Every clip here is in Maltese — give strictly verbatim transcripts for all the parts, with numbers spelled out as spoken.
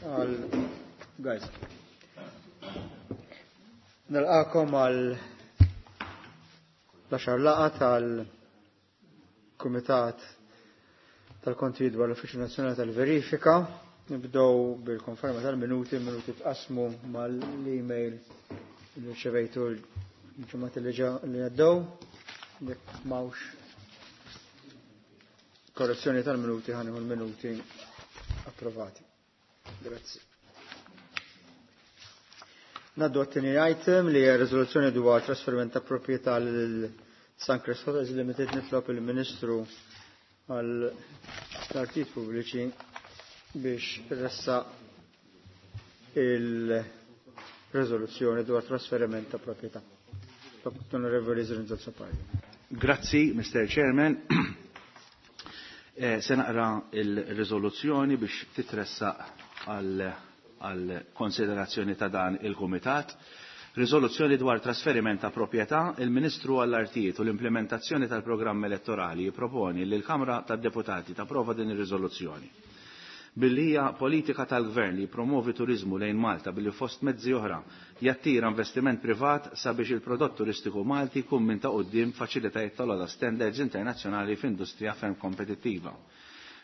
Għal guys. Nilqakom għal l-għaxar laqgħa tal-Kumitat tal-Konti dwar l-Uffiċċju Nazzjonali tal-Verifika. Nibdew bil-konferma tal-minuti, minuti tqasmu mal-email li rċevejtu l-ġimgħat li għaddew. Jekk m'hawnx korrezzjoni tal-minuti ħanieħu l-minuti approvati. Grazzi. Naddu għat-tieni item li hija riżoluzzjoni dwar trasferiment ta' proprjetà lil Suncrest Hotels Limited. Nitlob il-Ministru għal artijiet pubbliċi biex ressa il-riżoluzzjoni dwar trasferiment ta' proprjetà. Onorevoli Zrinzo Azzopardi. Grazzi, Mister Chairman. Eh, se naqra il-riżoluzzjoni biex titressaq għal għal konsiderazzjoni ta' dan il-Kumitat. Riżoluzzjoni dwar trasferiment ta' proprjetà, il-Ministru għall-Artijiet u l-implementazzjoni tal-programm elettorali jipproponi li l-Kamra tad-Deputati tapprova din ir-riżoluzzjoni. Billi hija politika tal-Gvern li jippromovi turiżmu lejn Malta billi fost mezzi oħra jattira investiment privat sabiex il-prodott turistiku Malti jkun minn ta' quddiem faċilitajiet tal-ogħla standards internazzjonali f'industrija ferm kompetittiva.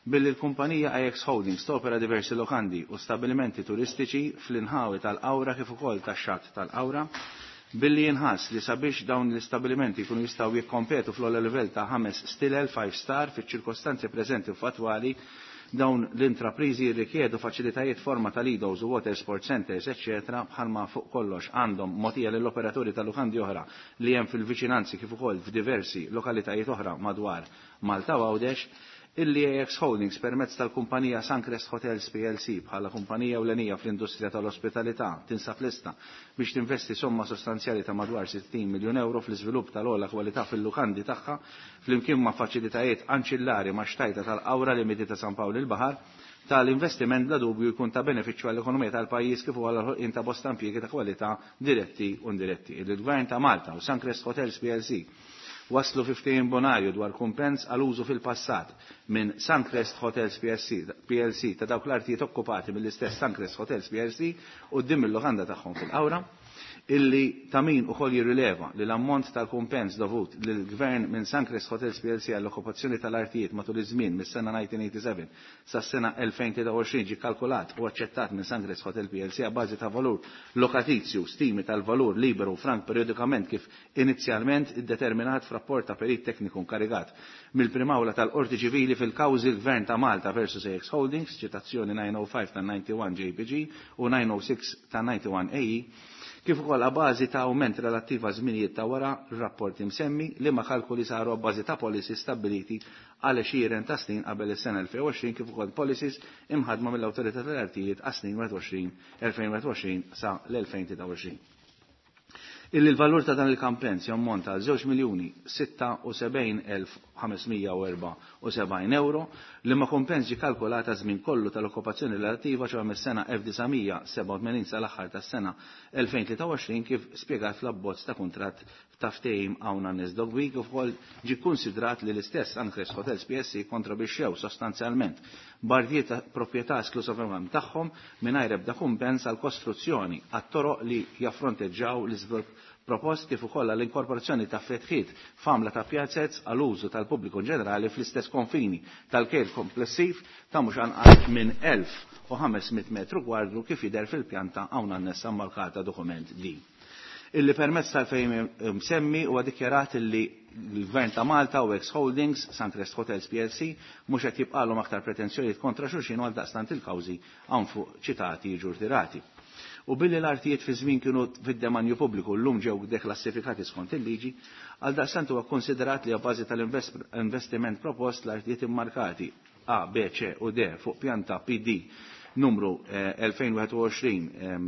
Billi l-kumpanija A X Holdings topera diversi lokandi u stabilimenti turistiċi fl-inħawi tal-Qawra kif ukoll tax-xatt tal-Qawra, billi jinħass li sabiex dawn l-istabilimenti jkunu jistgħu jikkompetu fl-ogħla livell ta' ħames stilel five star fiċ-ċirkostanzi preżenti u fatwali, dawn l-intrapriżi jirrikjedu faċilitajiet forma ta' lidos u water sport centers, eccetera, bħalma fuq kollox għandhom mogħtija lill-operaturi ta' lukandi oħra li hemm fil-viċinanzi kif ukoll f'diversi lokalitajiet oħra madwar Malta u Għawdex, illi A X Holdings permezz tal-kumpanija Suncrest Hotels P L C bħala kumpanija ewlenija fl-industrija tal-ospitalità tinsab lista biex tinvesti somma sostanzjali ta' madwar sittin miljun euro fl-iżvilupp tal-ogħla kwalità fil-lukandi tagħha flimkien ma' faċilitajiet anċillari ma' xtajta tal-Qawra limiti ta' San Pawl il-Baħar, tal-investiment bla dubju jkun ta' benefiċċju għall-ekonomija tal-pajjiż kif ukoll għall-ħolqien ta' bosta impjiegi ta' kwalità diretti u indiretti. Il-Gvern ta' Malta u Suncrest Hotels P L C waslu fi ftehim bonarju dwar kumpens għal użu fil-passat minn Suncrest Hotels P L C ta' dawk l-artijiet okkupati mill-istess Suncrest Hotels P L C quddiem il-lukanda tagħhom fil-Qawra, illi ta' min ukoll jirrileva li l-ammont tal-kumpens dovut lill-Gvern minn Suncrest Hotels P L C għall-okkupazzjoni tal-artijiet matul iż-żmien mis-sena nineteen eighty-seven sas-sena elfejn tlieta u għoxrin ġie kalkulat u aċċettat minn Suncrest Hotel P L C a bażi ta' valur lokatizju stimi tal-valur liberu frank periodikament kif inizjalment iddeterminat f'rapport ta' perit tekniku nkarigat mill-Prim'Awla tal-Qorti Ċivili fil-kawżi l-Gvern ta' Malta versus A X Holdings, ċitazzjoni nine oh five ta' ninety-one J P G u nine oh six ta' ninety-one A E, kif ukoll a bażi ta' awment relattiv għal żminijiet ta' wara r-rapport imsemmi li ma kalkuli saru a bażi ta' policies stabbiliti għal għexieren ta' snin qabel is-sena elfejn u għoxrin kif ukoll policies imħadma mill-Awtorità tal-Artijiet għas snin wieħed u għoxrin, elfejn wieħed u għoxrin sa l-elfejn tlieta u għoxrin. Illi l-valur ta' dan il-kampens jammonta għal żewġ miljuni sitta u sebgħin elf ħames mija u erba' u sebgħin euro li ma kumpens ġie kalkulata żmien kollu tal-okkupazzjoni relattiva ċoħ mis-sena elf disa' mija sebgħa u tmenin sal-aħħar tas-sena elfejn tlieta u għoxrin kif spjegat fl-abbozz ta' kuntratt ta' ftehim hawn għan-nies dog week, kif ukoll ġie kkunsidrat li l-istess Suncrest Hotels P S C kontrabixxew sostanzjalment bardijiet ta' proprjetà esklusivament tagħhom mingħajr ebda kumpens għal kostruzzjoni għat-toroq li jaffronteġġaw l-iżvilupp propost kif ukoll għall-inkorporazzjoni ta' fetħiet f'għamla ta' pjazzez għal użu tal-pubbliku ġenerali fl-istess konfini tal-kejl komplessiv ta' mhux anqas minn elf u ħames mitt metru kwadru kif jidher fil-pjanta hawn annessa markata dokument D. Illi permezz tal-fejn msemmi huwa dikjarat illi l-Gvern ta' Malta u X Holdings, Suncrest Hotels P L C, mhux qed jibqalhom aktar pretensjonijiet kontra xulxin u għaldaqstant il-kawżi hawn fuq ċitati jiġu rtirati. U billi l-artijiet fi żmien kienu fid-demanju pubbliku llum ġew deklassifikati skont il-liġi, għaldaqstant huwa konsiderat li bażi tal-investiment propost l-artijiet immarkati A, B, C u D fuq pjanta P D numru, eh, elfejn wieħed u għoxrin, em,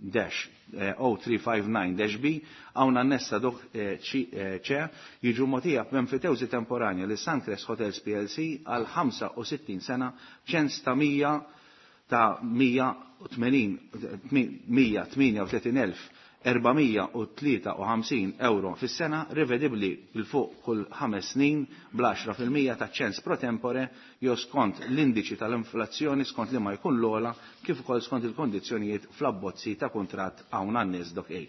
dash, eh, O three five nine dash B hawn annessa dok, eh, C, eh, C jiġu mogħtija b'enfitewżi temporanja li Suncrest Hotels P L C għal ħamsa u sittin sena ċens ta' mija ta' mija tmienja u tletin elf erba' mija u tlieta u ħamsin euro fis-sena, rivedibbli il fuq kull ħames snin bl-għaxra fil-mija ta' ċens pro tempore jew skont l-indiċi tal-inflazzjoni skont li ma jkun l-ogħla kif ukoll skont il-kondizzjonijiet fl-abbozzi ta' kuntratt hawn għan-nies dok A.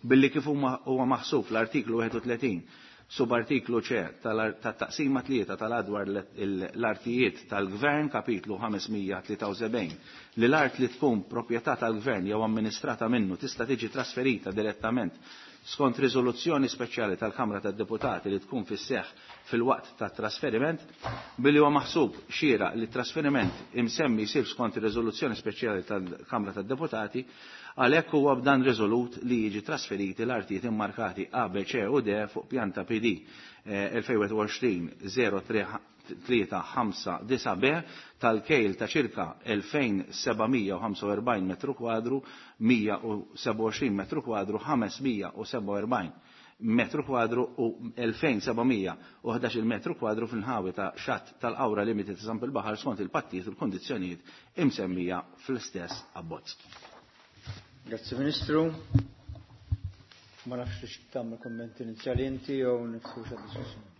Billi kif huwa maħsub l-artiklu wieħed u tletin subartiklu C tat-taqsima tlieta tal-adwar l-artijiet tal-Gvern kapitlu ħames mija tlieta u sebgħin li l-art li tkun proprjetà tal-Gvern jew amministrata minnu tista' tiġi trasferita direttament skont riżoluzzjoni speċjali tal-Kamra tad-Deputati li tkun fis-seħħ fil-waqt tat-trasferiment, billi huwa maħsub xieraq li t-trasferiment imsemmi jsir skont ir-riżoluzzjoni speċjali tal-Kamra tad-Deputati, għalhekk huwa b'dan riżolut li jiġi trasferiti l-artijiet immarkati A, B, C u D fuq pjanta P D, eh, elfejn u għoxrin zero tlieta ħamsa disa B tal-kejl ta' ċirka elfejn seba' mija u ħamsa u erbgħin metru kwadru, mija u seba' u għoxrin metru kwadru, ħames mija u seba' u erbgħin metru kwadru u elfejn seba' mija u ħdax-il metru kwadru fil-ħawi ta' xatt tal-Qawra Limited ta' San il-Baħar skont il-pattijiet u l-kondizzjonijiet imsemmija fl-istess abbozz. Grazzi Ministru. Ma nafx li tagħmel kummenti inizjali inti jew nifsu xa diskussjoni.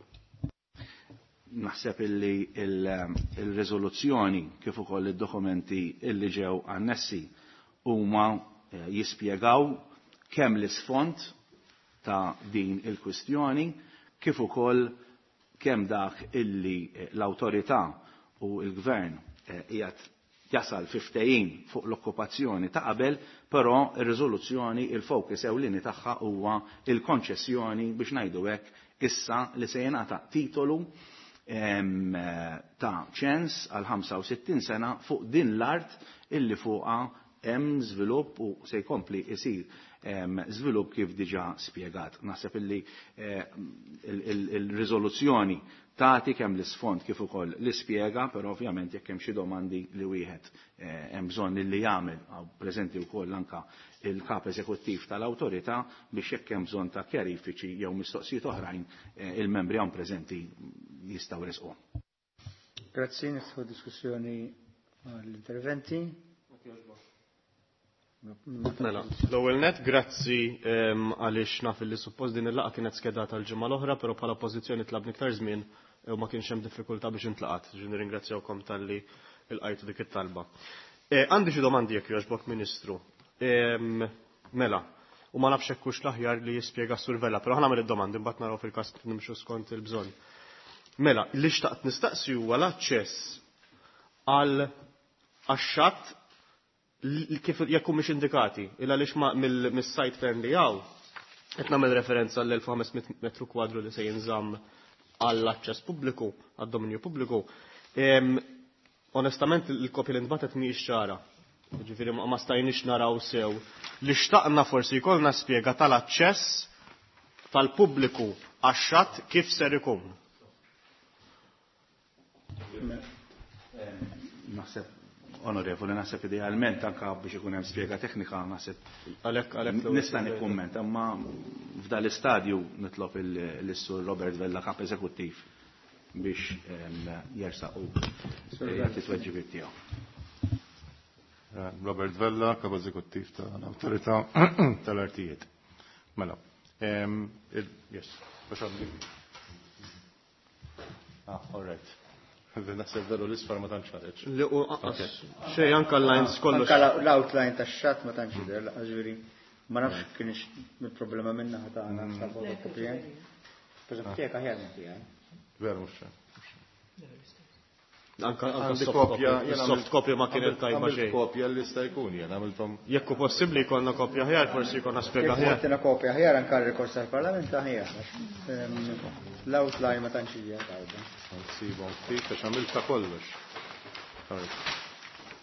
Naħseb illi il-riżoluzzjoni kif ukoll id-dokumenti illi ġew annessi huma, eh, jispjegaw kemm l-isfond ta' din il-kwistjoni kif ukoll kemm dak illi, eh, l-awtorità u l-gvern, eh, qiegħed jasal fi ftehim fuq l-okkupazzjoni ta' qabel, però ir-riżoluzzjoni il-focus ewlieni tagħha huwa il-konċessjoni biex ngħidu hekk issa li se jingħata titolu, em, ta' ċens għal ħamsa u sittin sena fuq din l-art illi fuqha hemm żvilupp u se jkompli jsir, em, żvilupp kif diġà spjegat. Naħseb illi, eh, il-, il-, il-riżoluzzjoni tagħti kemm l-isfond kif ukoll l-ispjega, però ovvjament jekk hemm xi domandi li wieħed, eh, hemm bżonn li jagħmel, hawn preżenti wkoll anke il-kap eżekuttiv tal-awtorità biex jekk hemm bżonn ta' kjarifiċi jew mistoqsijiet oħrajn, eh, il-membri hawn preżenti jistgħu resqu. Grazzi, nifħu diskussjoni għall-interventi. Mela, l-ewwel net, grazzi, ehm, għaliex naf li suppost din il-laqgħa kienet skedata l-ġimgħa l-oħra, però bħala pożizzjoni tlabni iktar żmien u ma kienx hemm diffikultà biex intlaqat. Ġi nirringrazzjawkom talli lqajtu dik it-talba. Eh, għandi xi domandi jekk jogħġbok, Ministru. Ehm, mela, u ma nafx hekk hux l-aħjar li jispjega s-Sur Vella, però ħa nagħmel id-domandi mbagħad naraw fil-każ kif nimxu skont il-bżonn. Mela, li xtaqt nistaqsi huwa l-aċċess għal għax-xatt li kif jekk mhux indikati, illa għaliex ma mill-, mis-site plan li hawn, qed nagħmel referenza għall elf u ħames mitt metru kwadru li se jinżamm għall-aċċess pubbliku, għad-dominju pubbliku. Em, onestament il-kopja li ntbatet mhijiex ċara. Jiġifieri ma, ma stajniex naraw sew. Li xtaqna forsi jkollna spjega tal-aċċess tal-pubbliku għax-xatt kif ser ikun. Naħseb, onorevoli, naħseb idealment anka biex ikun hemm spjega teknika, naħseb Għalhekk, għalhekk l-ewwel nista' nikkummenta, imma f'dan l-istadju nitlob il-, lis-Sur Robert Vella, kap eżekuttiv, biex, em, jersaq u jagħti tweġibiet tiegħu. Eh, Robert Vella, kap eżekuttiv tal-Awtorità tal-Artijiet. Mela, em, il-, yes, biex għandi. Ah, all right. Naħseb veru l-isfar ma tantx ħareġ. Li u anqas xejn, anke l-lines kollox. Anke la-, l-outline tax-xatt ma tantx jidher, laqas ġifieri ma nafx kienx il-problema minna ħa tagħna Mm. tal-fotokopija. Per eżempju, tiegħek aħjar minn tiegħi. Veru mhux xejn. Anka, anka Għandi soft kopja, copy. jena Soft għamilt- copy ma kienet għamilt- tajba għamilt xejn. kopja li sta jkun jien għamilthom. Jekk hu possibbli jkollna kopja aħjar, forsi jkollna spjega Jekk aħjar. għandna kopja aħjar anke r-rikors tal-Parlament aħjar. Ehm, l-outline ma tantx hija tajba. Nsibhom ftit għax għamilta kollox.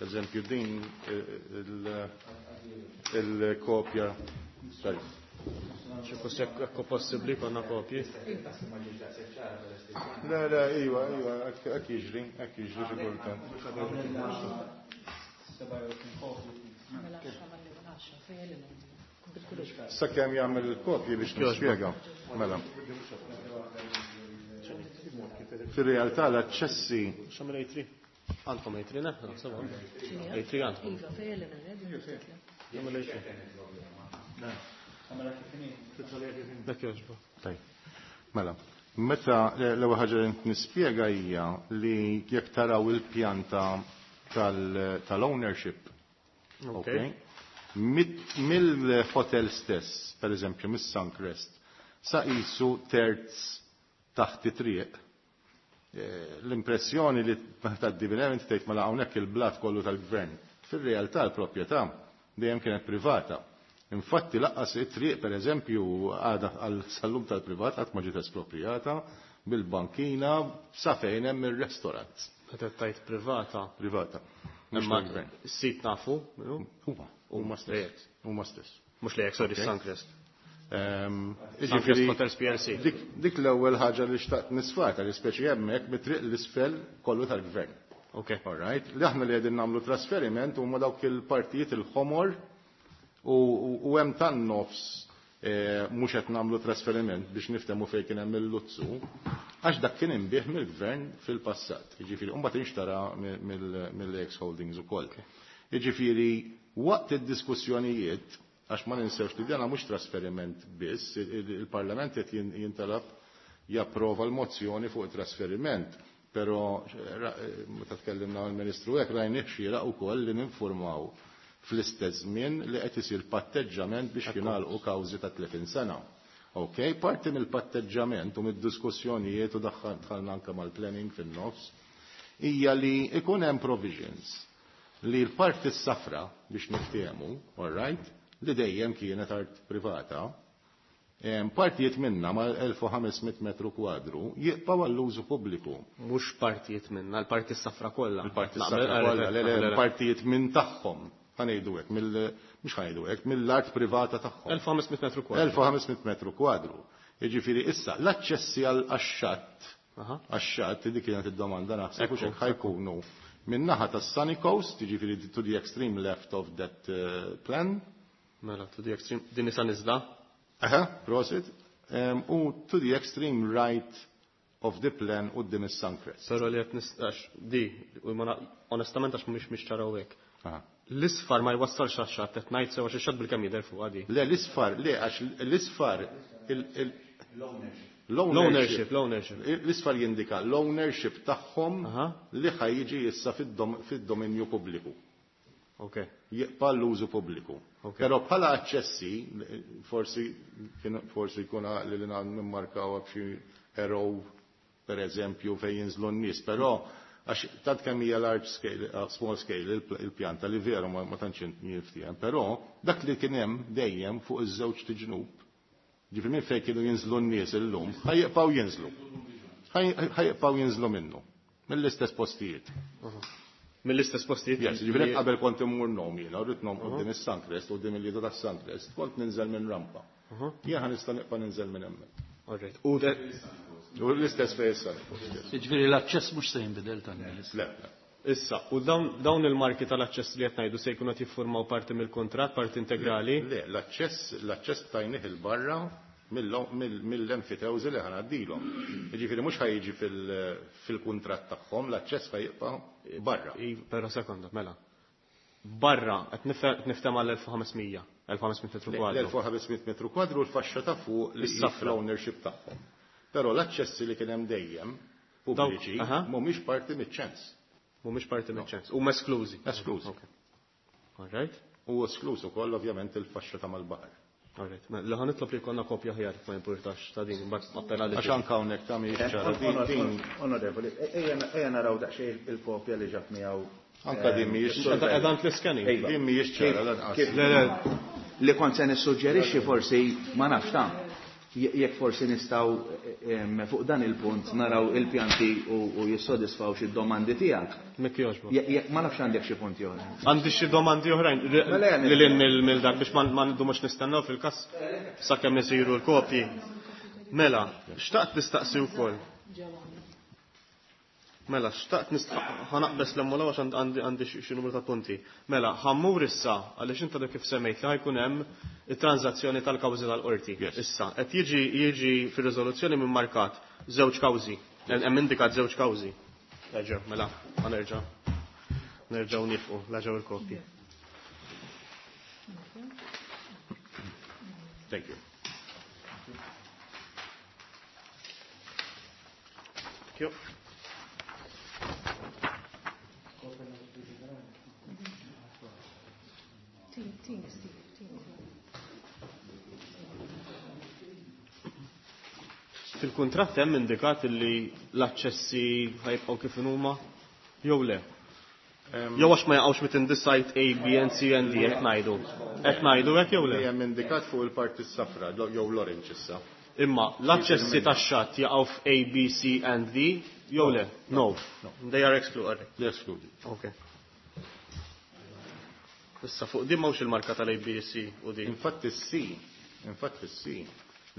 Eżempju din il-, il-kopja. Sorry. Xi jekk hu possibbli jkollna kopji. Le, le, iva, iva, hekk jiġri, hekk jiġri xi kultant. Sakemm jagħmel il-kopji biex nispjega. Mela. Fir-realtà l-aċċessi X'għamel A three? Għandkom A three neħna, naħseb għandkom. A three għandkom. Iva, fejn li Dak jogħġbu. Tajb. Mela, meta l-ewwel ħaġa li nispjega hija li jekk taraw il-pjanta tal-ownership, ok? Mill-hotel stess, per eżempju, mis-Suncrest, sa qisu terz taħt it-triq. L-impressjoni li tgħaddi minn hemm tgħid mela hawnhekk il-blat kollu tal-gvern. Fir-realtà l-proprjetà dejjem kienet privata. Infatti laqqas it-triq per eżempju għadha għal sallum tal-privat qatt ma ġiet esproprijata bil-bankina sa fejn hemm ir-restaurant. Meta tgħid privata. Privata. Imma s-sit nafu, minnu? Huma, huma stess. Huma stess. Mhux lejek, sorry, Suncrest. Jiġifieri Hotels P L C. Dik l-ewwel ħaġa li xtaqt nisfata, li speċi hemmhekk mit-triq l-isfel kollu tal-gvern. Ok. All right. Li aħna li qegħdin nagħmlu trasferiment huma dawk il-partijiet il-ħomor u hemm tan-nofs mhux qed nagħmlu trasferiment biex niftehmu fejn kien hemm il-luzzu, għax dak kien inbih mill-gvern fil-passat. Jiġifieri mbagħad inxtara mill-ex holdings ukoll. Jiġifieri waqt id-diskussjonijiet, għax ma ninsewx li dana mhux trasferiment biss, il-Parlament qed jintalab japprova l-mozzjoni fuq it-trasferiment, però meta tkellimna mal-Ministru hekk rajnih xieraq ukoll li ninformaw fl-istess żmien li qed isir patteġġament biex jingħalqu kawżi ta' tletin sena. Ok, parti mill-patteġġament u mid-diskussjonijiet u dħalna anke mal-planning fin-nofs hija li ikun hemm provisions li l-parti s-safra biex niftehmu, all right, li dejjem kienet art privata, partijiet minna mal elf u ħames mitt metru kwadru jibqgħu għall-użu pubbliku. Mhux partijiet minna, l-parti s-safra kollha. Il-parti s-safra kollha, le, le, partijiet minn tagħhom. Ħanejdu hekk, mhux ħanejdu hekk, mill-art privata tagħhom. elf u ħames mitt metru kwadru. elf u ħames mitt metru kwadru. Jiġifieri issa l-aċċessi għax-xatt, għax-xatt dik kienet id-domanda naħseb hux hekk ħajkunu min-naħa tas-Sunny Coast, jiġifieri to the extreme left of that plan. Mela, to the extreme, din isa niżla? Aha, prosit. U to the extreme right of the plan u din is-Suncrest. Però li qed nistax di, u ma onestament għax mhumiex mhix ċaraw hekk. L-isfar ma jwassalx għax-xatt, qed ngħid sew għax ix-xatt bil-kemm jidher fuq għadi. Le, l-isfar, le, għax l-isfar l-ownership. L-ownership, l-ownership. L-isfar jindika l-ownership tagħhom li ħajjiġi issa fid-dominju pubbliku. Ok. Jibqa' l-użu pubbliku. Però bħala aċċessi, forsi forsi jkun għaqli li nimmarkaw b'xi arrow, per eżempju, fejn jinżlu n-nies, però għax tant kemm hija large scale, small scale il-pjanta li veru ma tantx jinftiehem, però dak li kien hemm dejjem fuq iż-żewġ tiġnub, ġifieri minn fejn kienu jinżlu n-nies illum, ħajjibqgħu jinżlu. Ħajjibqgħu jinżlu minnu, mill-istess postijiet. Mill-istess postijiet? Yes, ġifieri qabel kont immur nom jiena, rrid nom quddiem is-Suncrest, quddiem il-lido tas-Suncrest, kont ninżel minn rampa. Jien ħa nista' nibqa' ninżel minn hemmhekk. All right. U U l-istess fejn issa. Jiġifieri l-aċċess mhux se jinbidel tan-nies. Le, le. Issa, u dawn il-marki tal-aċċess li qed ngħidu se jkunu qed jiffurmaw parti mill-kuntratt, parti integrali? Le, l-aċċess, l-aċċess tajnih il-barra mill-enfitewżi li ħanaddilhom. Jiġifieri mhux ħajjiġi fil-kuntratt tagħhom, l-aċċess ħajjibqa' barra. Però sekonda, mela. Barra, qed nifhem għal elf u ħames mija, elf u ħames mitt metru kwadru. L-elf u ħames mitt metru kwadru l-faxxa ta' fuq li Is-safra. l-ownership tagħhom. Però l-aċċessi li kien hemm dejjem pubbliċi mhumiex parti miċ-ċens. Mhumiex parti miċ-ċens. Huma esklużi. Esklużi. Ok. All right. U eskluż ukoll ovvjament il-faxxa ta' mal-baħar. All right. Mela, li ħa nitlob li jkollna kopja ħjar ma jimpurtax ta' din, imbagħad appella li Għax anke hawnhekk ta' mhijiex ċara. Din, din. Onorevoli, ejja naraw daqsxejn il-kopja li ġab miegħu. Anka din mhijiex ċara. Qiegħda fl-scanning. Din mhijiex ċara lanqas. Kif? Le, le. Li kont se nissuġġerixxi forsi ma nafx ta' jekk forsi nistgħu, em, fuq dan il-punt naraw il-pjanti u, u jissodisfaw xi domandi tiegħek. Mekk jogħġbok. Je-, je-, ma nafx għandek xi punti oħra. Għandi xi domandi oħrajn, ri-, Mela jgħan li lil mill-, mill dak biex ma-, ma ndumux nistennew fil-każ sakemm isiru l-kopji. Mela, xtaqt nistaqsi wkoll. Mela, xtaqt nist-, ħanaqbes l-emmola għax għandi, għandi xi, xi numru ta' punti. Mela, ħammur issa, għaliex inta dak kif semmejt li ħajkun hemm it-transazzjoni tal-kawżi tal-qorti. Yes. Issa, qed jiġi, jiġi fir-riżoluzzjoni minn markat żewġ kawżi, hemm indikat żewġ kawżi. Eġew, mela, ma nerġa'. Nerġgħu nifqu, la ġew il-kopji. Thank you. Thank you. Fil-kuntratt hemm indikat li l-aċċessi ħajbqgħu kif huma jew le? Jew għax ma jaqgħux within the site A, B and C and D qed ngħidu. Qed ngħidu hekk jew le? Hemm indikat fuq il-parti s-safra jew l-orange issa. Imma l-aċċessi tax-xatt jaqgħu f'A, B, C and D jew le? No. They are excluded. They are excluded. Okay. Issa fuq din m'hawnx il-marka tal-A, B, C u D. Infatti C, infatti C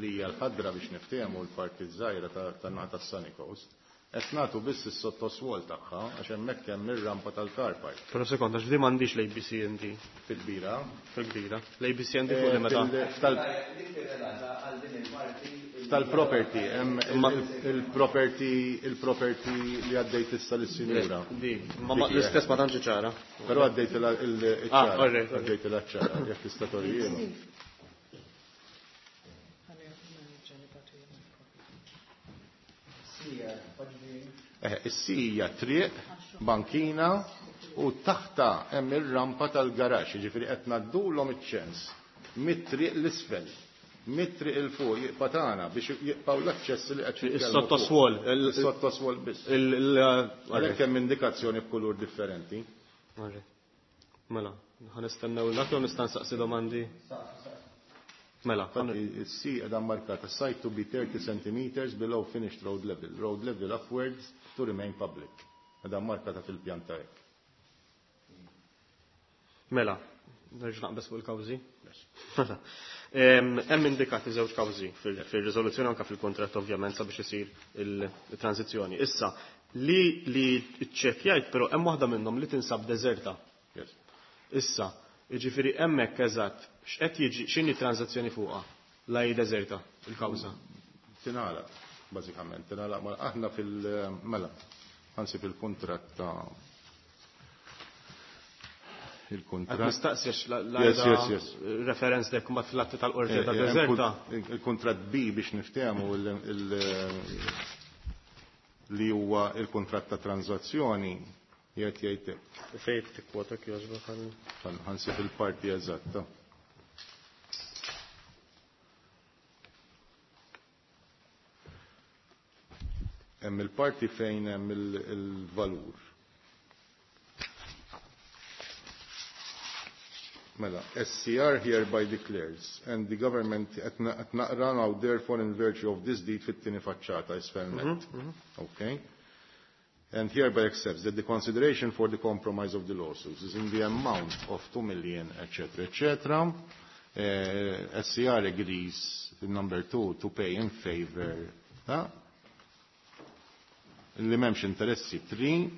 li hija l-ħadra biex niftehmu l-parti żgħira tan-naħa tas-Sunny Coast, qed nagħtu biss is-sottoswol tagħha għax hemmhekk hemm ir-rampa tal-car park. Però sekonda, għax di m'għandix l-A B C and D. Fil-kbira? Fil-kbira. L-A B C and D fuq li meta. Tal-property, hemm il-property, il-property li għaddejt issa lis-sinjura. Di, ma l-istess ma tantx ċara. Però għaddejt il-ċara. Għaddejt il-ċara, jekk tista' torjielu. Is-sija triq, bankina u taħta hemm ir-rampa tal-garaxx, jiġifieri qed ngħaddulhom iċ-ċens mit-triq l-isfel, mit-triq il fuq jibqa' tagħna biex jibqgħu l-aċċess li qed Is-sottoswol, is-sottoswol biss. Għalhekk hemm indikazzjoni b'kulur differenti. Mela, ħa nistennew dak jew nista' nsaqsi domandi? Mela, is-C qiegħda markata site to be thirty centimeters below finished road level, road level upwards to remain public. Qiegħda markata fil-pjanta hekk. Mela, nerġa' naqbeż fuq il-kawżi? Mela. Hemm indikati żewġ kawżi fir-riżoluzzjoni anke fil-kuntratt ovvjament sabiex isir il-transizzjoni. Issa, li li ċċekkjajt però hemm waħda minnhom li tinsab deżerta. Issa, jiġifieri hemmhekk eżatt x'qed jiġi x'inhi transazzjoni fuqha la hi deżerta il-kawża? Tingħalaq bażikament, tingħalaq ma aħna fil-mela, ħansib il-kuntratt ta' il-kuntratt. Qed nistaqsi għax la Yes, yes, yes. referenz dek ma fl-atti tal-qorti ta' deżerta. Il-kuntratt B biex niftehmu li huwa il-kuntratt ta' transazzjoni jgħid jgħid hekk. Fejn tikkwota kjożbok ħan ħansib il-parti eżatta. Hemm il-parti fejn hemm il-valur. Mela, S C R hereby declares, and the government qed naqra now therefore in virtue of this deed fit-tieni faċċata isfel net. Okay. And hereby accepts that the consideration for the compromise of the lawsuits is in the amount of two million, et cetera, et cetera. Uh, S C R agrees, number two, to pay in favor. Huh? Li memx interessi three,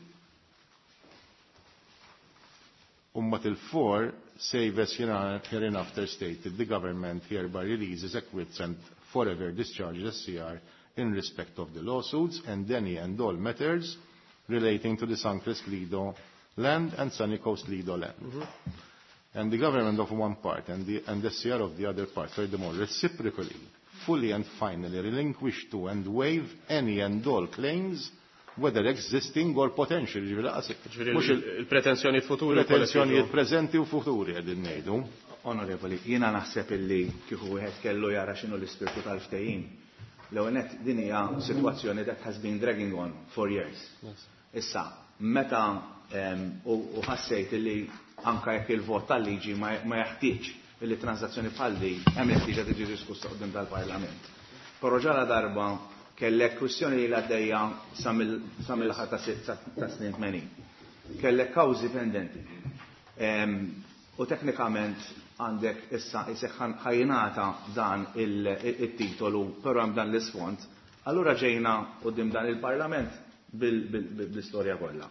umma til four, save as hereinafter stated, the government hereby releases, acquits and forever discharges S C R in respect of the lawsuits and any and all matters relating to the Suncrest Lido land and Sunny Coast Lido land. Mm-hmm. And the government of one part and the, and the S C R of the other part, furthermore, reciprocally, fully and finally relinquish to and waive any and all claims, whether existing or potential. Ġifieri laqas Ġifieri mhux il- il-pretensjonijiet futuri u Pretensjonijiet kollha preżenti u futuri qegħdin ngħidu. Onorevoli, jiena naħseb illi kieku wieħed kellu jara x'inhu l-ispirtu tal-ftehim. L-ewwel nett din hija sitwazzjoni that has been dragging on for years. Yes. Issa, meta, em, u, u ħassejt illi anka jekk il-vot tal-liġi ma, ma jeħtieġ illi transazzjoni bħal di hemm il-ħtieġa tiġi diskussa quddiem tal-Parlament. Però ġala darba kellek kwistjoni li għaddejja sa mill-aħħar ta' sitt, ta' snin tmenin. Kellek kawżi pendenti. Em, u teknikament għandek issa isek ħajnata dan il-titolu, però hemm dan l-isfond. Allura ġejna quddiem dan il-Parlament bil-istorja kollha.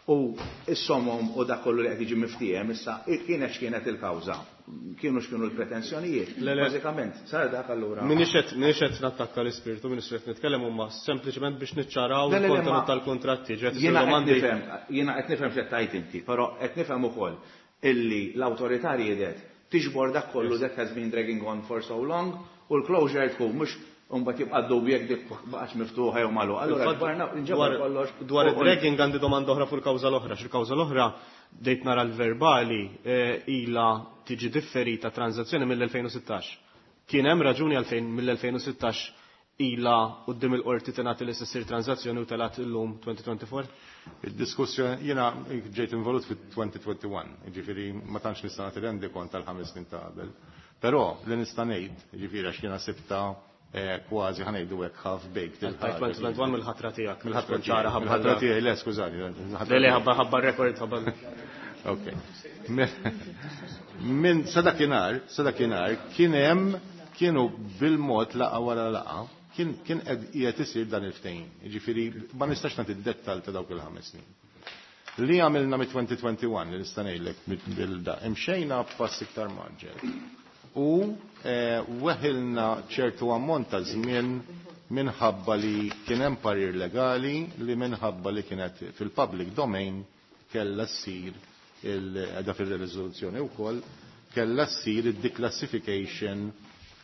U s-somom u dak kollu li qed jiġi miftiehem issa kienet x'kienet il-kawża, kienu x'kienu l-pretensjonijiet. Bażikament sar dak allura. M'iniex qed nattakka l-ispirtu, m'iniex qed nitkellem huma sempliċement biex niċċaraw il-kontenut tal-kuntratti. Jiena qed nifhem x'qed tgħid inti, però qed nifhem ukoll illi l-awtorità riedet tiġbor dak kollu that has been dragging on for so long u l-closure tkun mhux imbagħad jibqa' dubju jekk dik baqgħetx miftuħa jew magħluqa. Allura ġbarna nġabar kollox. Dwar id-dragging għandi domanda oħra fuq il-kawża l-oħra. X'il-kawża l-oħra bdejt nara l-verbali ilha tiġi differita tranżazzjoni mill-elfejn u sittax. Kien hemm raġuni għalfejn mill-elfejn u sittax ilha quddiem il-qorti tingħati li se ssir tranżazzjoni u telgħet illum twenty twenty-four? Id-diskussjoni jiena ġejt involut fit-twenty twenty-one, jiġifieri ma tantx nista' nagħti rendikont tal-ħames snin ta' qabel. Però li nista' ngħid, jiġifieri għax jiena sibta kważi ħanejdu hekk half baked il-ħaġa. twenty twenty-one mill-ħatra tiegħek. Mill-ħatra tiegħi, mill-ħatra tiegħi, le skużani. Le le ħabba ħabba rekord ħabba. Ok. Minn sa dakinhar, sa dakinhar kien hemm kienu bil-mod laqa wara laqa, kien kien qiegħed isir dan il-ftehim. Jiġifieri ma nistax nagħti d-dettall ta' dawk il-ħames snin. Li għamilna mit twenty twenty-one li nista' ngħidlek bil-da, imxejna b'pass iktar maġġel. U weħilna ċertu ammont ta' żmien minħabba li kien hemm parir legali li minħabba li kienet fil-public domain kellha ssir il-qeda fir-riżoluzzjoni wkoll kellha ssir id-declassification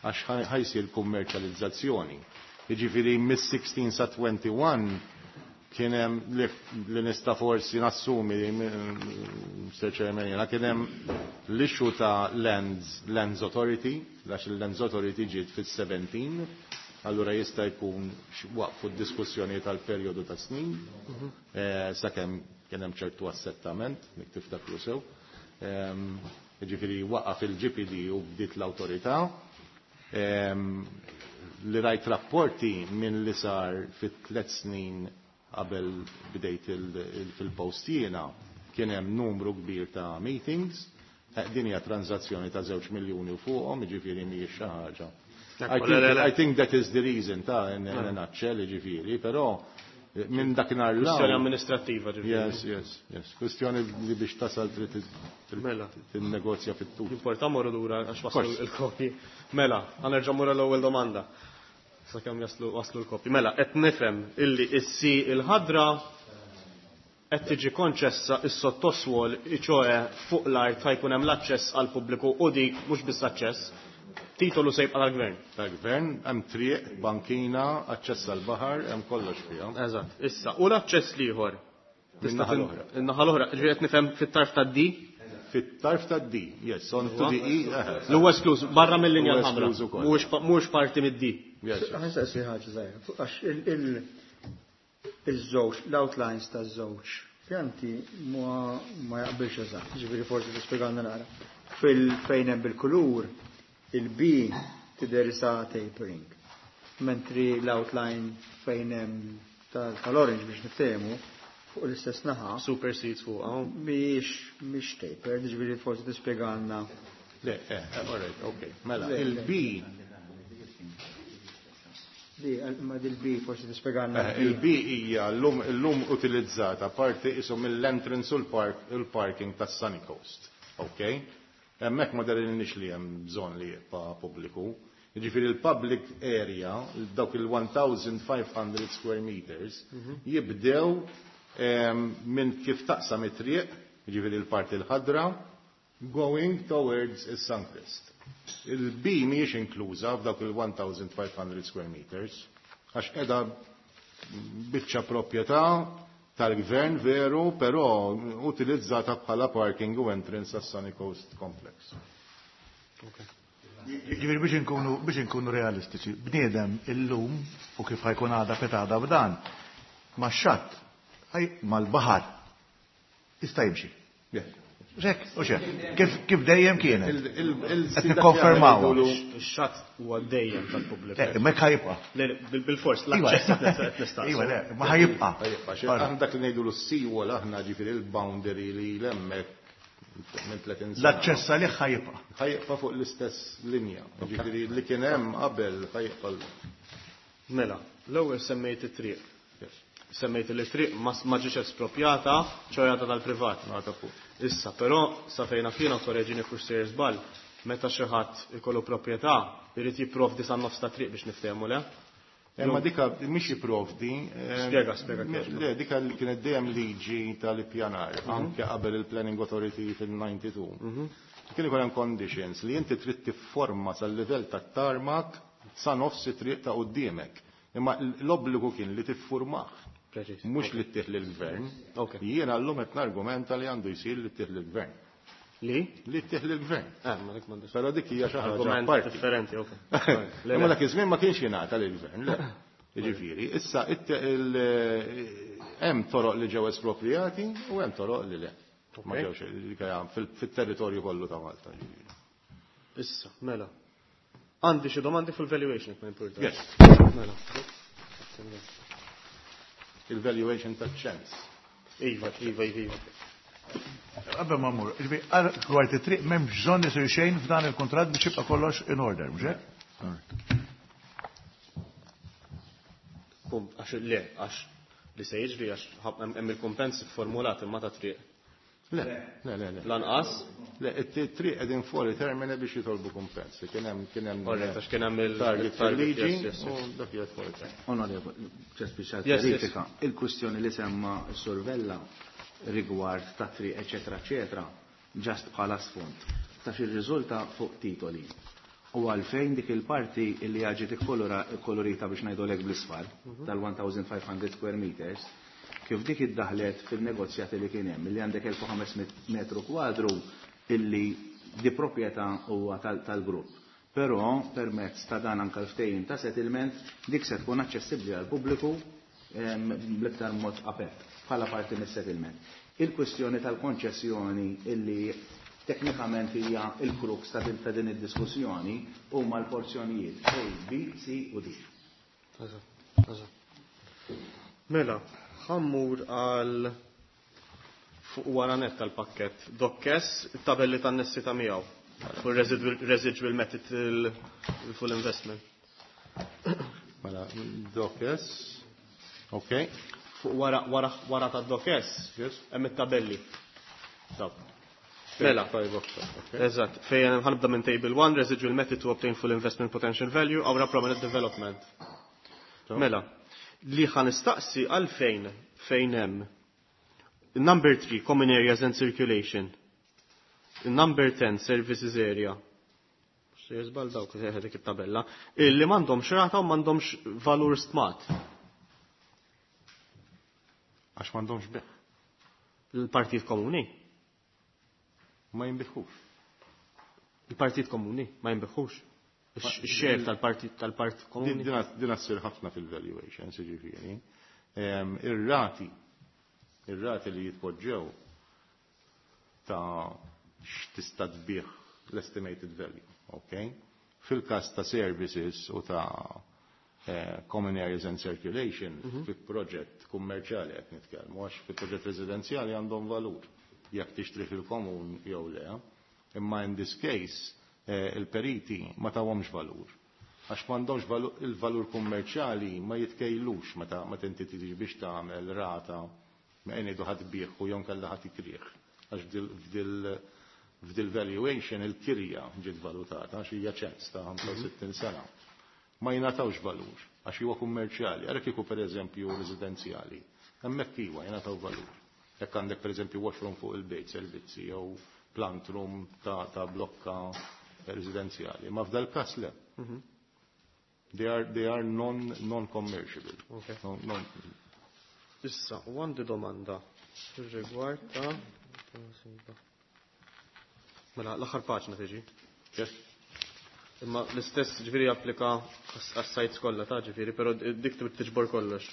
għax ħajsir kummerċjalizzazzjoni. Jiġifieri mis-sixteen sa twenty-one kien hemm li nista' forsi nassumi Mister Chairman jiena kien hemm l-issue ta' Lands, Lands Authority, għax il-Lands Authority ġiet fis-seventeen, allura jista' jkun waqfu d-diskussjoni tal-perjodu ta' snin, sakemm kien hemm ċertu assettament, nik tiftakru sew. Jiġifieri waqaf il-G P D u bdiet l-awtorità. Li rajt rapporti minn li sar fit-tliet snin qabel bdejt fil-post jiena kien hemm numru kbir ta' meetings. Din hija transazzjoni ta' żewġ miljuni u fuqhom, jiġifieri mhijiex xi ħaġa. I think that is the reason ta' in a nutshell, jiġifieri, però minn dakinhar l Kwistjoni amministrattiva, ġifieri. Yes, yes, yes. Kwistjoni li biex tasal trid tinnegozja fit-tul. Importa morru lura għax waslu l-kopji. Mela, ħa nerġa' mmur l-ewwel domanda. Sakemm jaslu waslu l-kopji. Mela, qed nifhem illi issi il-ħadra qed tiġi konċessa s-sottoswol, ċoe fuq l-art ħajkun hemm l-aċċess għall pubbliku u dik mhux biss aċċess, titolu se jibqa' tal-gvern. Tal-gvern, hemm triq, bankina, aċċess għall-baħar, hemm kollox fiha. Eżatt. Issa, u l-aċċess l-ieħor? Min-naħa l-oħra. In-naħa l-oħra, ġifieri qed nifhem fit-tarf tad-D? Fit-tarf tad-D, yes, on to the E. L-huwa esklus, barra mill-linja Huwa l-ħamra. esklus ukoll. Mhuwiex parti mid-D. Yes. Ħa nistaqsi ħaġa żgħira. Għax il-żewġ, l-outlines taż-żewġ pjanti ma jaqbilx eżatt, ġifieri forsi tispjegalna naqra. Fil-fejn hemm bil-kulur, il-B tidher sa tapering, mentri l-outline fejn hemm tal-orange biex niftehmu fuq l-istess naħa. Super seats fuq, hawn. Mhijiex, mhix taper, ġifieri forsi tispjegalna. Le, eh, all right, okay. Mela, Le, le. il-B Di, ma dil-B forsi tispjegalna. Eh, il-B hija llum, llum utilizzata parti isom mill-entrance u l-park, il-parking tas Sunny Coast. Ok? Hemmhekk ma darilniex li hemm bżonn li jibqa' pubbliku. Jiġifieri il-public area, dawk il-one thousand five hundred square meters, Mhm. jibdew, ehm, minn kif taqsam it-triq, jiġifieri l-parti l-ħadra, going towards is-Suncrist. Il-B mhijiex inkluża f'dawk il-one thousand five hundred square meters, għax qiegħda biċċa proprjetà tal-gvern veru, però utilizzata bħala parking u entrance għas Sunny Coast Complex. Okay. Ġifieri biex inkunu, biex inkunu realistiċi, bniedem illum u kif ħajkun għada petada b'dan, max-xatt, mal-baħar, jista' jimxi. Yeah. Xek, u xek, kif, kif dejjem kienet? Il-, il-, il- Qed nikkonfermaw. Ix-xatt huwa dejjem tal-pubbliku. Le, imma hekk ħajibqa'. Le, le, bil-, bil-fors, Iva. l-aċċess qed nistaqsu. Iva, le, ma ħajibqa'. Ħajibqa', xi aħna dak li ngħidu l-seawall aħna ġifieri il-boundary li l-hemmhekk minn tletin sena. L-aċċess għalih ħajibqa'. Ħajibqa' fuq l-istess linja. Ġifieri li kien hemm qabel ħajibqa' l- Mela, l-ewwel semmejt it-triq. Yes. Semmejt li triq ma ma ġietx espropjata, ċorjata tal-privat. Issa, però sa fejna fina korreġini kux sejjer żball, meta xi ħadd ikollu proprjetà, irid jipprovdi sa nofs ta' triq biex niftehmu le? Imma dika mhix jipprovdi. Spjega, spjega. Le, dika li kienet dejjem liġi tal-ippjanar, anke qabel il-Planning Authority fil-disgħa u disgħin. Kien ikun hemm conditions li inti trid tifforma sal-livell tat-tarmac sa nofs it-triq ta' quddiemek. Imma l-obbligu kien li tiffurmah. Mhux li ttih lill-gvern. Jiena llum qed nargumenta li għandu jsir li ttih lill-gvern. Li? Li ttih lill-gvern. Eh, ma dik m'għandix. Però dik hija xi ħaġa Argument parti. differenti, ok. Imma dak iż-żmien ma kienx jingħata lill-gvern, le. Jiġifieri, issa hemm toroq li ġew esproprijati u hemm toroq li le. Ma ġewx fit-territorju kollu ta' Malta. Issa, mela. Għandi xi domandi fuq valuation ma importa. Yes. Mela. Il-valuation ta' ċens. Iva, iva, iva. Qabel ma mmur, ġifieri dwar it-triq m'hemm bżonn isir xejn f'dan il-kuntratt biex jibqa' kollox in order, mhux hekk? Għax le, għax li se jiġri għax hemm il-kumpens formulat imma ta' triq. Le, le, le, le. Lanqas? Le, it-triq qegħdin fuori termine biex jitolbu kumpens. Kien hemm kien hemm Orrett, għax kien hemm target fil-liġi u dak qiegħed fuori termine. Onorevoli, ġest biex Yes, yes. verifika, il-kwistjoni li semma s-Sur Vella rigward ta' triq, eccetera, eccetera, ġast bħala sfond. Ta' xi riżulta fuq titoli. U għalfejn dik il-parti li ġiet ikkolorita biex ngħidulek bl-isfar tal-elf u ħames mija square meters, kif dik iddaħlet fil-negozjati li kien hemm, li għandek elf u ħames mitt metru kwadru illi di proprjetà huwa tal-grupp. Però permezz ta' dan anka l-ftehim ta' settlement dik se tkun aċċessibbli għal pubbliku bl-iktar mod apert bħala parti mis-settlement. Il-kwestjoni tal-konċessjoni illi teknikament hija il-crux ta' din ta' din id-diskussjoni huma l-porzjonijiet A, B, C u D. Mela, ħa mmur għal fuq wara net tal-pakket. Doc S, tabelli tan-nessi ta' miegħu. Fuq residual, residual method il-full investment. Mela, Doc S. Ok. Fuq wara, wara, wara ta' Doc S, Yes. hemm it-tabelli. Dawk. Mela. Five o'clock, ok. Eżatt, fejn ħa nibda minn table one, residual method to obtain full investment potential value, Qawra Promenade development. Mela, li ħa nistaqsi għalfejn fejn hemm number three, common areas and circulation. Number ten, services area. Xejn żball dawk dik it-tabella. Illi m'għandhomx rata u m'għandhomx valur stmat. Għax m'għandhomx bejgħ. Il-Partit Komuni. Ma jinbiegħux. Il-Partit Komuni ma jinbiegħux. Ix-share tal-Partit tal-Partit Komuni. Din ssir ħafna fil-valuations, jiġifieri. Ir-rati, ir-rati li jitpoġġew ta' x'tista' tbigħ l-estimated value, ok? Fil-każ ta' services u ta' eh, common areas and circulation, fi proġett kummerċjali qed nitkellmu, għax fi proġett residenzjali għandhom valur jekk tixtri fil-komun jew le. Imma in this case eh, il-periti ma tawhomx valur. Għax m'għandhomx il-valur kummerċjali ma jitkejlux meta meta inti tiġi biex tagħmel rata ma ngħidu ħa tbigħ u jew kellha ħadd ikrih. Għax f'dil f'dil valuation il-kirja ġiet valutata għax hija ċens ta' ħamsa u sittin sena. Ma jingħatawx valur għax huwa kummerċjali, għalhekk kieku pereżempju residenzjali. Hemmhekk iwa jingħataw valur. Jekk għandek pereżempju washroom fuq il-bejt servizzi jew plant room ta', ta blokka residenzjali. Ma f'dal każ le. They are, they are non, non-commerciable. Okay. Non, non, Issa, u għandi domanda fir-rigward ta' Mela, l-aħħar paġna tiġi. Yes. Imma l-istess ġifieri applika għas-sites kollha ta' ġifieri, però dik tiġbor kollox.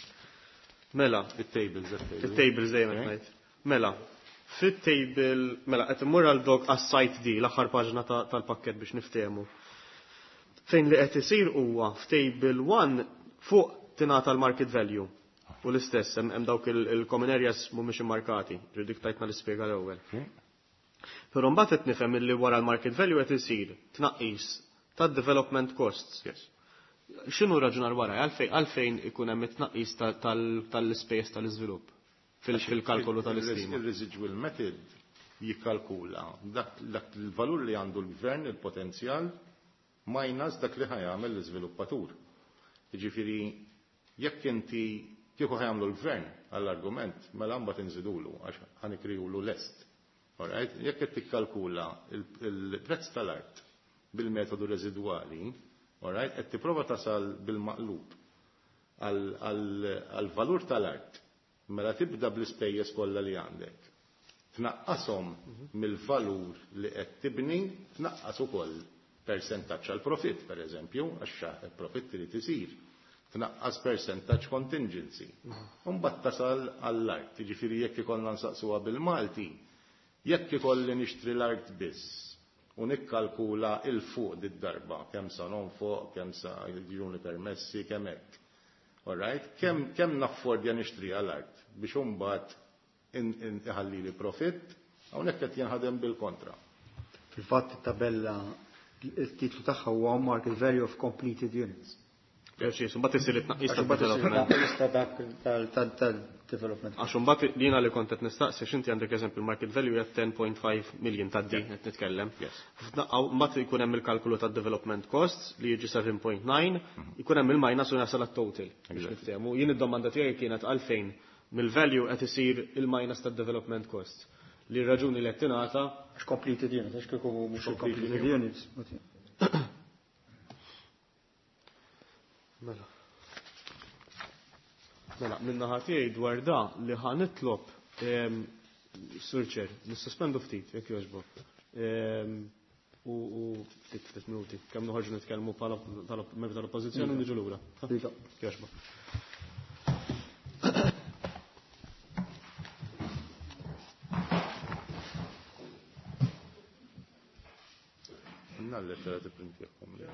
Mela, Il-tables, il-tables. il-tables dejjem qed ngħid. Mela, fit-table, mela qed immur għal dok għas-site D, l-aħħar paġna tal-pakket biex niftehmu. Fejn li qed isir huwa f'table one fuq tingħata l-market value. U l-istess, hemm dawk il-common areas mhumiex immarkati, ġifieri dik tajtna l-ispjega l-ewwel. Però mbagħad qed nifhem illi wara l-market value qed isir tnaqqis tad-development costs. Yes. X'inhu raġunar wara għalfejn għalfejn ikun hemm it-tnaqqis tal-ispejjeż tal-iżvilupp fil-kalkolu tal-istima? Il-residual method jikkalkula dak il-valur li għandu l-gvern, il-potenzjal, minus dak li ħajamel l-iżviluppatur. Jiġifieri jekk inti kieku ħajamlu l-gvern għall-argument, mela mbagħad inżidulu għax ħanikrijulu lest. Alright? Jekk qed tikkalkula il-prezz tal-art bil-metodu residwali, alright, qed tipprova tasal bil-maqlub għall-valur tal-art, mela tibda bl-ispejjeż kollha li għandek. Tnaqqashom mill-valur li qed tibni, tnaqqas ukoll persentaġġ għal profitt, per eżempju, għax il-profitt irid isir. Tnaqqas persentaġġ contingency. U mbagħad tasal għall-art. Jiġifieri jekk ikollna nsaqsuha bil-Malti, jekk ikolli nixtri l-art biss u nikkalkula il fuq did-darba, kemm sa nonfoq, kemm sa jiġuni permessi, kemm hekk. All right? Kemm kemm naffordja nixtri għall-art biex imbagħad iħalli li profitt, hawnhekk qed jinħadem bil-kontra. Fil-fatt it-tabella il-titlu tagħha huwa market value of completed units. Preċis, mbagħad isir it-tnaqqis tad-development. Tal-development. Għax imbagħad jiena li kont qed nistaqsi għax inti għandek eżempju market value hija ten point five million tad D qed nitkellem. Mbagħad ikun hemm il-kalkolu tad-development costs li jiġi seven point nine, ikun hemm il-minus u jasal għat-total. Biex niftehmu. Jien id-domanda tiegħi kienet għalfejn mill-value qed isir il-minus tad-development costs. Li r-raġuni li qed tingħata għax completed units, għax kieku mhux completed units. Mela. Mela, minna tiegħi dwar da li ħa nitlob Sur Chair, nissospendu ftit, jekk jogħġbok. U ftit ftit minuti, kemm noħorġu nitkellmu bħala membri tal-Oppożizzjoni u niġu lura. Jogħġbok. Nalli tipprintjakom li.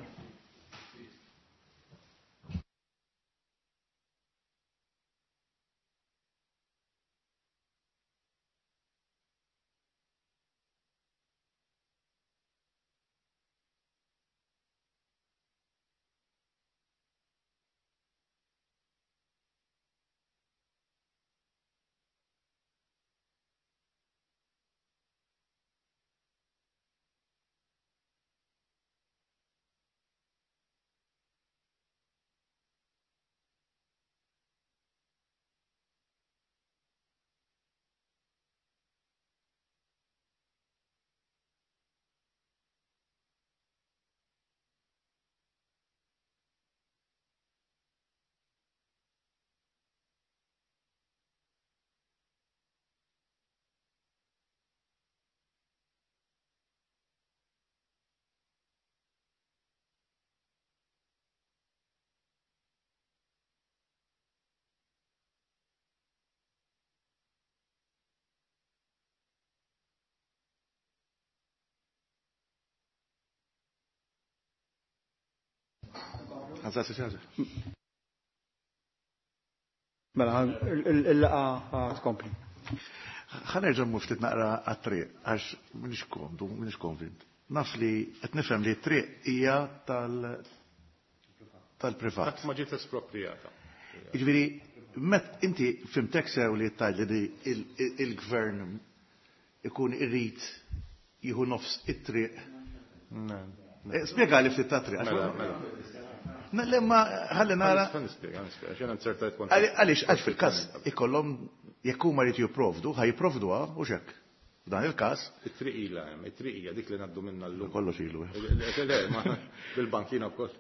Mela, il-laqa tkompli. Ħa nerġa' mmur ftit naqra għat-triq, għax m'iniex komdu, m'iniex konvint. Naf li qed nifhem li t-triq hija tal-privat. Qatt ma ġiet espropriata. Jiġifieri, met inti fimtek sew li tgħid li il-gvern ikun irrid jieħu nofs it-triq. Spjegali ftit tat-triq. Mela, mela. Lemma ħalli nara. Nispjega, nispjega, xejn inzertajt kont. Għaliex għax fil-każ ikollhom jekk huma jrid jipprovdu, ħaj jipprovduha u x'hekk. F'dan il-każ. It-triq ilha hemm, it-triq hija dik li ngħaddu minnha llum. Kollox ilu. Le, ma bil-bankina wkoll.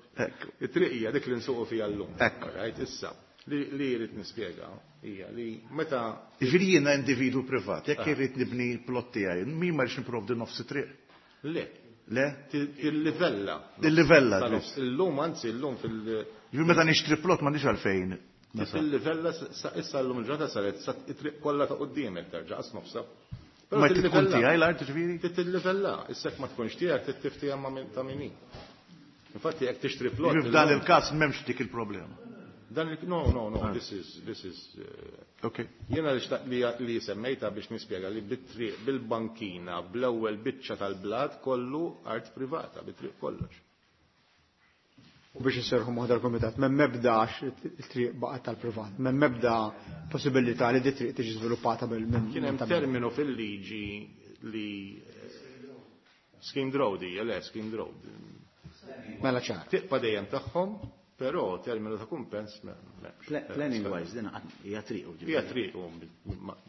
It-triq hija dik li nsuqu fiha llum. Hekk. Right, issa li jrid nispjega hija li meta Jiġifieri jiena individwu privat, jekk irrid nibni plott tiegħi, min ma rridx nipprovdi nofs it-triq? Le. Le? Il-livella. Il-livella. Illum, anzi, illum fil- Ġifieri meta nixtri plot m'għandix għalfejn. Il-livella issa llum il-ġurnata saret sa it-triq kollha ta' quddiemek terġa' qas nofsa. Ma tkun tiegħi l-art ġifieri? Titillivella, issa jekk ma tkunx tiegħek tittiftija ta' min hi. Infatti jekk tixtri plot. Ġifieri f'dan il-każ m'hemmx dik il-problema. Dan il no, no, no, this is, this is. Okay. Jiena li xtaq li, li semmejta biex nispjega li bit-triq, bil-bankina, bl-ewwel biċċa tal-blat kollu art privata, bit-triq kollox. U biex inserrħu moħħ dal-kumitat, m'hemm ebda għax it-triq baqgħet tal-privat, m'hemm ebda possibilità li di triq tiġi żviluppata bil minn. Kien hemm terminu fil-liġi li scheme road hija, le scheme road. Mela ċar. Tibqa' dejjem tagħhom, però terminu ta' kumpens m'hemmx. Planning wise, din hija triq. Hija triq u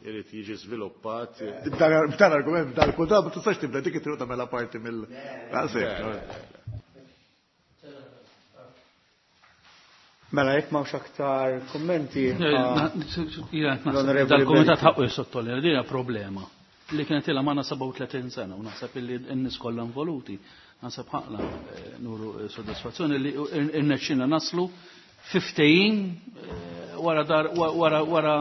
irid jiġi żviluppat. B'dan argument, b'dan kull ma tistax tibda dik it-triq tagħmilha parti mill. Mela jekk m'hawnx aktar kummenti. Dal-kumitat ħaqqu jissottolinja din hija problema li kienet ilha magħna sebgħa u tletin sena u naħseb illi n-nies kollha involuti naħseb ħaqna nuru soddisfazzjoni li rnexxina naslu fiftejn wara dar wara wara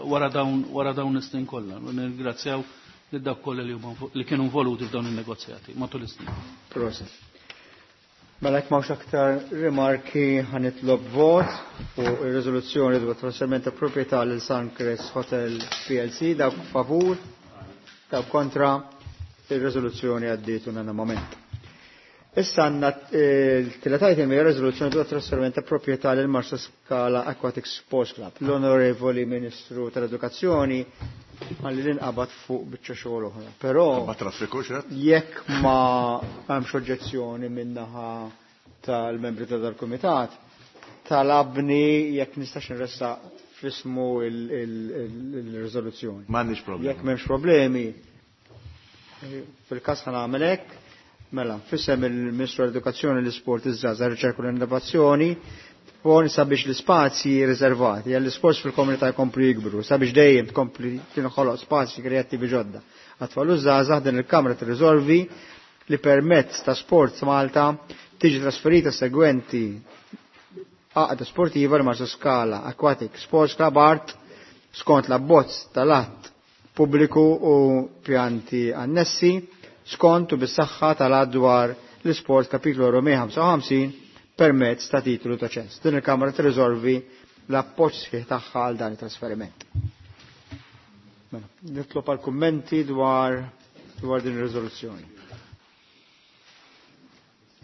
wara dawn wara dawn is-snin kollha. Nirringrazzjaw lil dawk kollha li huma li kienu involuti f'dawn in-negozjati matul is-snin. Proset. Mela jekk m'hawnx aktar rimarki ħa nitlob vot fuq ir-riżoluzzjoni dwar trasferiment ta' proprjetà lil Suncrest Hotel P L C, dawk favur, dawk kontra, ir-riżoluzzjoni għaddiet unanimament. Issa għandna l-tielet item hija riżoluzzjoni dwar trasferiment ta' proprjetà lil Marsa Scala Aquatic Sports Club. L-Onorevoli Ministru tal-Edukazzjoni għalli l-inqabad fuq biċċa xogħol oħra. Però Ma traffiku xed? jekk ma hemmx oġġezzjoni min-naħa tal-membri ta' dal-kumitat, talabni jekk nistax nressaq f'ismu il-riżoluzzjoni. M'għandniex problemi. Jekk m'hemmx problemi, fil-każ ħa nagħmel hekk. Mela, f'isem il-Ministru tal-Edukazzjoni, l-Isport, iż-Żgħażagħ, ir-Riċerka u l-Innovazzjoni, pon sabiex l-ispazji riservati għall-isports fil-komunità jkomplu jikbru, sabiex dejjem tkompli tinħoloq spazji kreattivi ġodda. Għat-tfal u żgħażagħ din il-Kamra tirriżolvi li permezz ta' Sports Malta tiġi trasferita segwenti għaqda sportiva li Marsa Scala Aquatic Sports Club Art skont l-abbozz tal-att pubbliku u pjanti annessi skont u bis-saħħa tal-att dwar l-isport kapitlu erba' ħamsa u ħamsin permezz ta' titolu ta' ċens. Din il-Kamra tirriżolvi l-appoġġ sħiħ tagħha għal dan it-trasferiment. Mela, nitlob għal kummenti dwar, dwar din ir-riżoluzzjoni.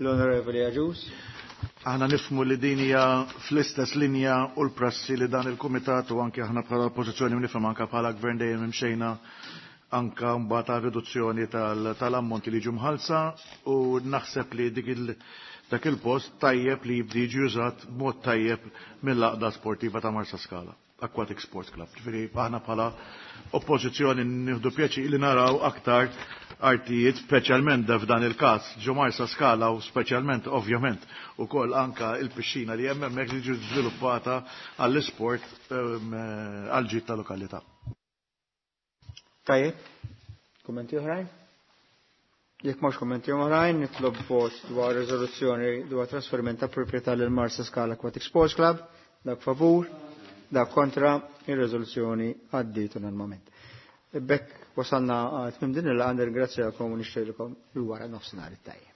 L-Onorevoli Agius. Aħna nifhmu li din hija fl-istess linja u l-prassi li dan il-Kumitat u anke aħna bħala oppożizzjoni nifhem anke bħala gvern dejjem imxejna anka mbagħad ta' riduzzjoni tal-ammonti li ġu mħallsa u naħseb li dik il dak il-post tajjeb li jibdi jiġi użat b'mod tajjeb mill-għaqda sportiva ta' Marsa Scala, Aquatic Sports Club. Ġifieri aħna bħala oppożizzjoni nieħdu pjaċir li naraw aktar artijiet, speċjalment f'dan il-każ ġo Marsa Scala u speċjalment ovvjament ukoll anka il-pixxina li hemm hemmhekk li ġiet żviluppata għall-isport għall-ġid ta' lokalità. Tajjeb, kummenti oħrajn? Jekk m'hawnx kummenti oħrajn, nitlob vot dwar riżoluzzjoni dwar trasferiment ta' proprjetà lil Marsa Scala Aquatic Sports Club, dak favur, dak kontra, ir-riżoluzzjoni għaddiet unanimament. Bekk wasalna tmiem din il-laqgħa, nirringrazzjakom u nixtieqilkom il-wara nofsinhar it-tajjeb.